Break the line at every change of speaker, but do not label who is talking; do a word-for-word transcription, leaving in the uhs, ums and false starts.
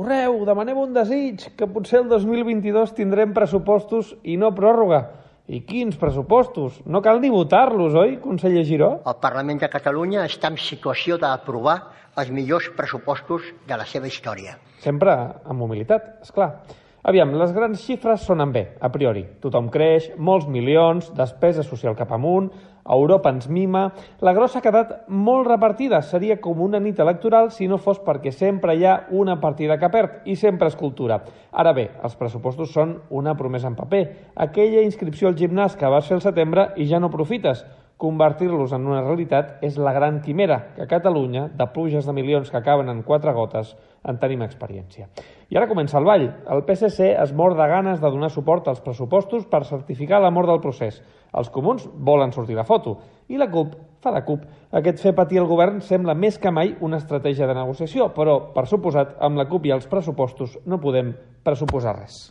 correu, demanem un desig, que potser el dos mil vint-i-dos tindrem pressupostos i no pròrroga. I quins pressupostos? No cal ni votar-los, oi, conseller Giró?
El Parlament de Catalunya està en situació d'aprovar els millors pressupostos de la seva història.
Sempre amb humilitat, esclar. Aviam, les grans xifres sonen bé, a priori. Tothom creix, molts milions, despesa social cap amunt, Europa ens mima... La grossa ha quedat molt repartida. Seria com una nit electoral si no fos perquè sempre hi ha una partida que perd i sempre és cultura. Ara bé, els pressupostos són una promesa en paper. Aquella inscripció al gimnàs que vas fer al setembre i ja no profites. Convertir-los en una realitat és la gran quimera, que a Catalunya, de pluges de milions que acaben en quatre gotes, en tenim experiència. I ara comença el ball. El P S C es mor de ganes de donar suport als pressupostos per certificar la mort del procés. Els comuns volen sortir de foto i la CUP fa de CUP. Aquest fer patir el govern sembla més que mai una estratègia de negociació, però, per suposat, amb la CUP i els pressupostos no podem pressuposar res.